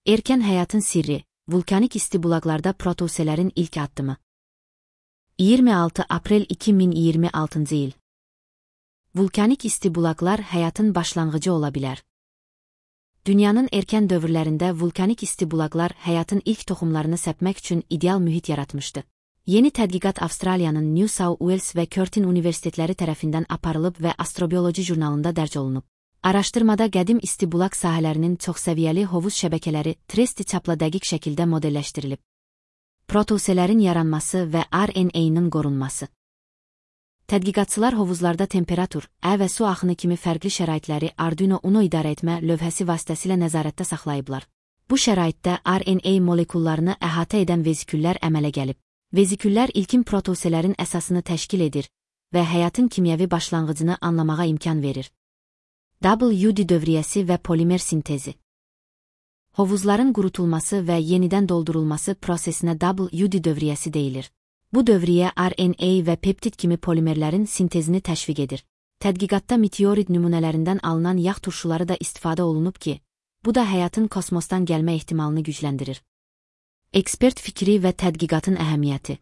Erkən həyatın sirri, vulkanik isti bulaqlarda protoselerin ilk addımı. 26 Aprel 2026 il. Vulkanik isti bulaqlar həyatın başlanğıcı ola bilər. Dünyanın erkən dövrlərində vulkanik isti bulaqlar həyatın ilk toxumlarını səpmək üçün ideal mühit yaratmışdı. Yeni tədqiqat Avstraliyanın New South Wales və Curtin universitetləri tərəfindən aparılıb və Astrobioloji jurnalında dərc olunub. Araşdırmada qədim isti bulaq sahələrinin çoxsəviyyəli hovuz şəbəkələri tresti çapla dəqiq şəkildə modelləşdirilib. Protoselerin yaranması və RNA-nın qorunması. Tədqiqatçılar hovuzlarda temperatur, və su axını kimi fərqli şəraitləri Arduino Uno idarə etmə lövhəsi vasitəsilə nəzarətdə saxlayıblar. Bu şəraitdə RNA molekullarını əhatə edən veziküllər əmələ gəlib. Veziküllər ilkin protoselerin əsasını təşkil edir və həyatın kimyəvi başlanğıcını anlamağa imkan verir. WD dövriyyəsi və polimer sintezi. Hovuzların qurutulması və yenidən doldurulması prosesinə WD dövriyyəsi deyilir. Bu dövriyyə RNA və peptid kimi polimerlərin sintezini təşviq edir. Tədqiqatda meteorit nümunələrindən alınan yağ turşuları da istifadə olunub ki, bu da həyatın kosmosdan gəlmə ehtimalını gücləndirir. Ekspert fikri və tədqiqatın əhəmiyyəti.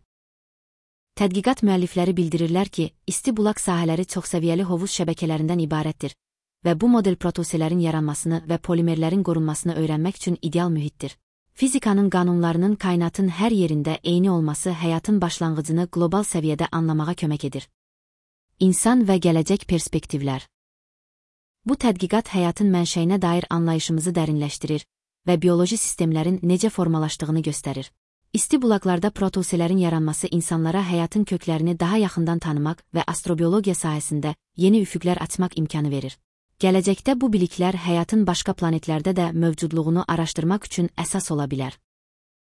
Tədqiqat müəllifləri bildirirlər ki, isti bulaq sahələri çoxsəviyyəli hovuz şəbəkələrindən ibarətdir və bu model protoselerin yaranmasını və polimerlərin qorunmasını öyrənmək üçün ideal mühitdir. Fizikanın qanunlarının kainatın hər yerində eyni olması həyatın başlanğıcını qlobal səviyyədə anlamağa kömək edir. İnsan və gələcək perspektivlər. Bu tədqiqat həyatın mənşəyinə dair anlayışımızı dərinləşdirir və bioloji sistemlərin necə formalaşdığını göstərir. İsti bulaqlarda protoselerin yaranması insanlara həyatın köklərini daha yaxından tanımaq və astrobiologiya sahəsində yeni üfüqlər açmaq imkanı verir. Gələcəkdə bu biliklər həyatın başqa planetlərdə də mövcudluğunu araşdırmaq üçün əsas ola bilər.